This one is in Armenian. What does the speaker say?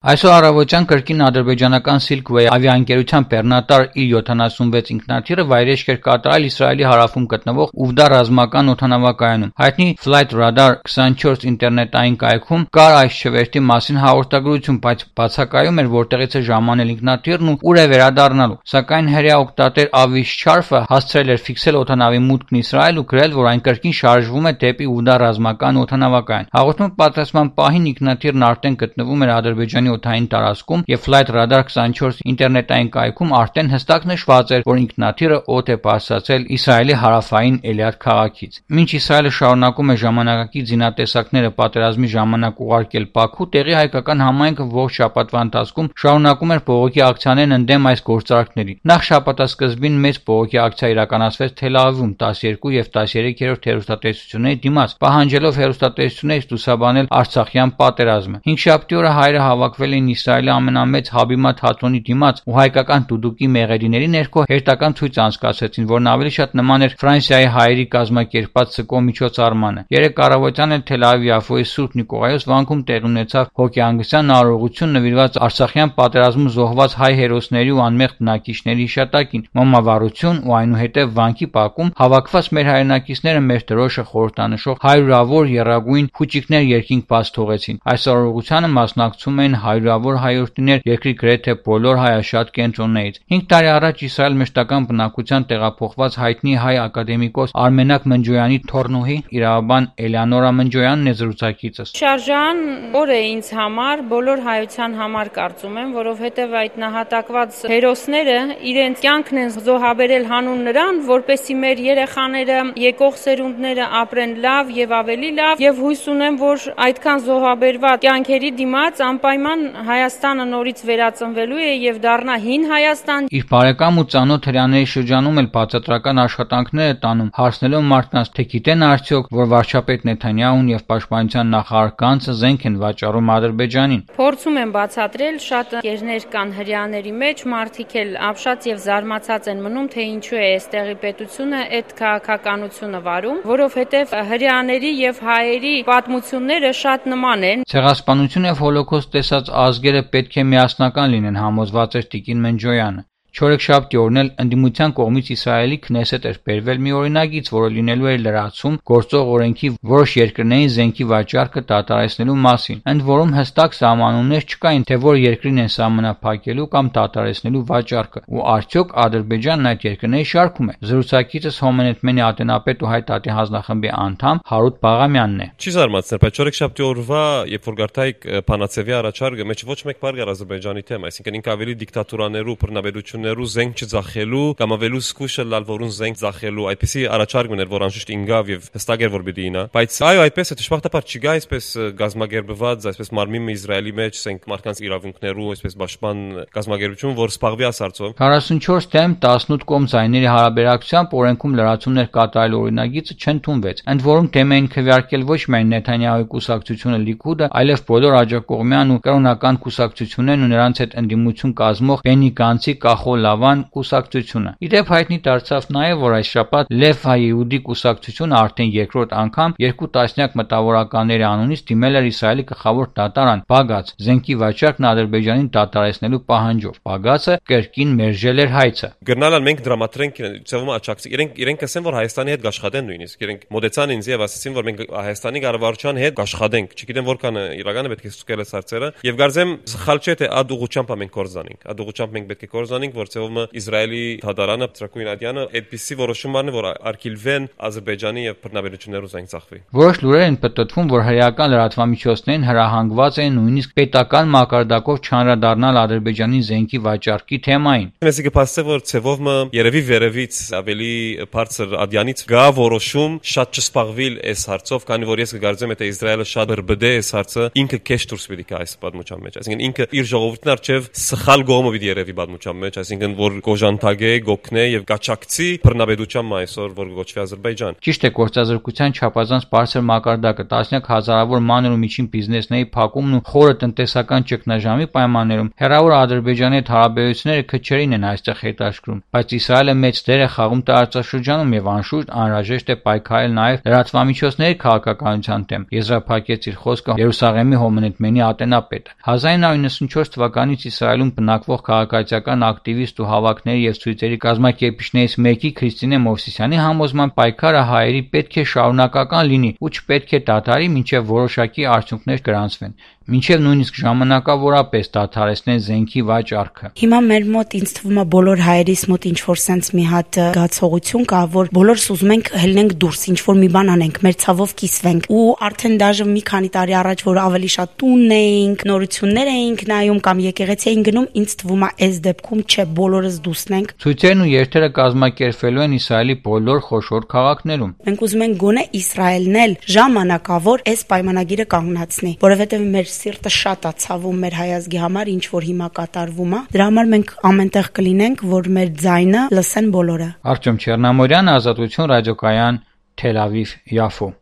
Այսօր առավոտյան կրկին ադրբեջանական Silkway ավիաընկերության բեռնատար Il-76 ինքնաթիռը վայրէջք էր կատարել Իսրայելի հարավում գտնվող Ուվդա ռազմական օդանավակայանում։ Հայտնի Flight Radar 24 ինտերնետային կայքում կար այս չվերթի մասին հաղորդագրություն, բայց բացակայում էր որտեղից է ժամանել ինքնաթիռն ու ուր է վերադառնալու։ Սակայն հրեա օգտատեր Avish Charf-ը հասցրել էր ֆիքսել օդանավի մուտքն Իսրայել ու գրել, որ այն կրկին շարժվում է դեպի Ուվդա ռազմական օդանավակայան։ Հաղորդման պատրաստման պահին ինքնաթիռն արդեն գտնվում էր Ադրբեջանի օդային տարածքում եւ Flight Radar 24 ինտերնետային կայքում արդեն հստակ նշված էր, որ ինքնաթիռը օդ է բարձրացել Իսրայելի հարավային Էլյատ քաղաքից։ Մինչ Իսրայելը շարունակում է ժամանակակից զինատեսակները պատերազմի ժամանակ ուղարկել Բաքու, տեղի հայկական համայնքը ողջ շաբաթվա ընթացքում շարունակում էր բողոքի ակցիաներն ընդդեմ այս գործարքների։ Նախ շաբաթասկզբին մեծ բողոքի ակցիա իրականացվեց Թել Ավիվում 12 եւ 13-րդ հեռուստատեսությունների դիմաց, պահանջելով հեռուստատեսություններից լուսաբանել Արցախյան պատերազմը։ 5-շաբթի օրը հայերը հավաքվել էին Իսրայելի ամենամեծ Հաբիմա թատրոնի դիմաց ու հայկական դուդուկի մեղեդիների ներքո հերթական ցույց անցկացրեցին, որն ավելի շատ նման էր Ֆրանսիայի հայերի կազմակերպած ՍԿՕ միջոցառմանը։ Երեկ առավոտյան էլ Թել Ավիվի Աֆոյի Սուրբ Նիկողայոս վանքում տեղի ունեցավ հոգեհանգստյան արարողություն նվիրված Արցախյան պատերազմում զոհված հայ հերոսների ու անմեղ բնակիչների հիշատակին։ Մոմավառություն ու այնուհետև վանքի բակում հավաքված մեր հայրենակիցները մեր դրոշը խորհրդանշող հարյուրավոր եռագույն փուչիկներ երկինք բաց թողեցին։ Այս արարողությանը մասնակցում էին հարյուրավոր հայրենիներ երկրի գրեթե բոլոր հայաշատ կենտրոններից։ 5 տարի առաջ Իսրայել մշտական բնակության տեղափոխված հայտնի հայ ակադեմիկոս Արմենակ Մնջոյանի թոռնուհի իրավաբան Էլեոնորա Մնջոյանն է զրուցակիցս։ Շարժան օր է ինձ համար, բոլոր հայության համար կարծում եմ, որովհետև այդ նահատակված հերոսները իրենց կյանքն են զոհաբերել հանուն նրան, որպեսզի մեր երեխաները, եկող սերունդները ապրեն լավ եւ ավելի լավ, եւ հույս ունեմ, որ այդքան զոհաբերված կյանքերի դիմաց անպայման Հայաստանը նորից վերածնվելու է եւ դառնա հին Հայաստան։ Իր բարեկամ ու ծանոթ հրեաների շրջանում էլ բացատրական աշխատանքներ է տանում, հարցնելով մարդկանց, թե գիտեն արդյոք, որ վարչապետ Նեթանյահուն եւ պաշտպանության նախարար Գանցը զենք են վաճառում Ադրբեջանին։ Փորձում եմ բացատրել, շատ կերներ կան հրեաների մեջ, մարդիկ էլ ապշած եւ զարմացած են մնում, թե ինչու է այստեղի պետությունը այդ քաղաքականությունը վարում, որովհետեւ հրեաների եւ հայերի պատմությունները շատ նման են։ Ցեղասպանություն եւ հոլոկոստ տեսած ազգերը պետք է միասնական լինեն, համոզված էր Տիկին Մնջոյանը։ Չորեքշաբթի օրն էլ ընդդիմության կողմից Իսրայելի Քնեսեթ էր բերվել մի օրինագիծ, որը լինելու էր լրացում գործող օրենքի որոշ երկրներին զենքի վաճառքը դադարեցնելու մասին, ընդ որում հստակ սահմանումներ չկային, թե որ երկրին են սահմանափակելու կամ դադարեցնելու վաճառքը, ու արդյոք Ադրբեջանն այդ երկրների շարքում է։ Զրուցակիցս Հոմենեթմենի ատենապետ ու հայ տատի հանձնախմբի անդամ Հարութ Բաղամյանն է։ Չի զարմացնել, բայց չորեքշաբթի օրվա, երբ որ գարտայք Փանացևի առաջարկը, մեջ ոչ մեկ բառ գար Ադրբեջանի թեմ, այսինքն ինքը ավելի դիկտատուրաներու բռնաբերություններու զենք չձախելու կամ ավելի զգուշը լալ որուն զենք ձախելու այդպեսի առաջարկ ուներ, որ անշուշտ ինգավ եւ հստակ էր որ պիտի ինա, բայց այո, այդպես է դժբախտաբար չգա այսպես գազագերբված, այսպես մարմին Իսրայելի մեջ զենք մարդկանց իրավունքներու այսպես պաշտպան գազագերբություն, որ սպաղվի ասարծով 44 թեմ 18 կողմ զայների հարաբերակցությամբ օրենքում լրացումներ կատարել օրինագիծը չընդունվեց, ընդ որում թեմ էին քվեարկել ոչ միայն Նեթանյահուի կուսակցությունը Լիկուդը, այլև բոլոր աջակողմյան ու կրոնական կուսակցություններն ու նրանց հետ ընդդիմություն կազմող Բենի Գանցի Կախոլ Լավան կուսակցությունը։ Իդեպ հայտնի դարձավ նաև, որ այս շաբաթ Լև Հայեուդի կուսակցությունը արդեն երկրորդ անգամ 2 տասնյակ մտավորականների անունից դիմել էր Իսրայելի գլխավոր դատարան Բագաց զենքի վաճառքն Ադրբեջանին դադարեցնելու պահանջով։ Բագացը կրկին մերժել էր հայցը։ Գնալալ մենք դրամատրենք ծավալը աճակցի։ Իրենք ասեն, որ Հայաստանի հետ աշխատեն նույնիսկ։ Իրենք մոդեցան ինձ եւ ասացին, որ մենք Հայաստանի կառավարության հետ աշխատենք։ Չգիտեմ որքան իրականը պետք է ստուգել այս հարցերը։ Եվ գարձեմ սխալ չէ թե ад ուղղությամբ մենք կորզանենք։ Ад ուղղությամբ մենք պետք է կորզանենք, որ ծավալը Իսրայելի դատարանը Տրակույն Ադյանը այդպիսի որոշում առնի, որ արգելվեն Ադրբեջանի եւ բռնաբերություններով զենք ծախվի։ Որոշ լուրեր են պտտվում, որ հրեական լրատվամիջոցներին հրահանգված են նույնիսկ պետական մակարդակով չանդրադառնալ Ադրբեջանի զենքի վաճառքի թեմային։ Մեզի կփաստե որ ծավալը երևի վերևից ավելի բարձր Ադյանից գա որոշում շատ չսպաղվիլ այս հարցով, քանի որ ես կգարձեմ թե Իսրայելը շատ բրբդե այս հարցը ինքը քեշ դուրս պիտի գա այս պատմության մեջ, այսինքն ինքը իր ժողովրդին արչև սխալ գոմը պիտի երևի պատմության մեջ, այսինքն որ գոժանտագե, գոքնե եւ կաչակցի բռնաբեդությամբ այսօր որ գոչվի Ադրբեջան։ Ճիշտ է, գործազրկության չափազանց բարձր մակարդակը, տասնյակ հազարավոր մանր ու միջին բիզնեսների փակումն ու խորը տնտեսական ճգնաժամի պայմաններում հեռավոր Ադրբեջանի հետ հարաբերությունները քչերին են այստեղ հետաքրքրում, բայց Իսրայելը մեծ դեր է խաղում տարածաշրջանում եւ անշուշտ անհրաժեշտ է պայքարել նաեւ լրատվամիջոցների քաղաքականության դեմ, եզրափակեց իր խոսքը Երուսաղեմի հոմենետմենի ատենապետը։ 1994 թվականից Իսրայելում բնակվող քաղաքացիական ակտիվիստ ու հավաքների եւ ցույցերի կազմակերպիչներից մեկի Քրիստինե Մովսիսյանի համոզման պայքարը հայերի պետք է շարունակական լինի ու չպետք է դադարի, մինչեւ որոշակի արդյունքներ գրանցվեն, մինչեւ նույնիսկ ժամանակավորապես դադարեցնեն զենքի վաճառքը։ Հիմա մեր մոտ ինձ թվում է բոլոր հայերիս մոտ ինչ որ sense մի հատ զգացողություն կա, որ բոլորս ուզում ենք հելնենք դուրս, ինչ որ մի բան անենք, մեր ցավով կիսվենք։ Ու արդեն դաժե մի քանի տարի առաջ որ ավելի շատ տունն էինք, նորություններ էինք նայում կամ եկեղեցի էինք գնում, ինձ թվում է այս դեպքում չէ, բոլորս դուսնենք։ Ցույցերն ու երթերը կազմակերպվելու են Իսրայելի բոլոր խոշոր քաղաքներում։ Մենք ուզում ենք գոնե Իսրայելն էլ ժամանակավոր այս պայմանագիրը կանգնացնի, որովհետև մեր սիրտը շատ է ցավում մեր հայազգի համար, ինչ որ հիմա կատարվում է։ Դրա համար մենք ամենտեղ կլինենք, որ մեր ձայնը լսեն բոլորը։ Արտյոմ Չեռնամորյան, Ազատություն ռադիոկայան, Թել Ավիվ, Յաֆո։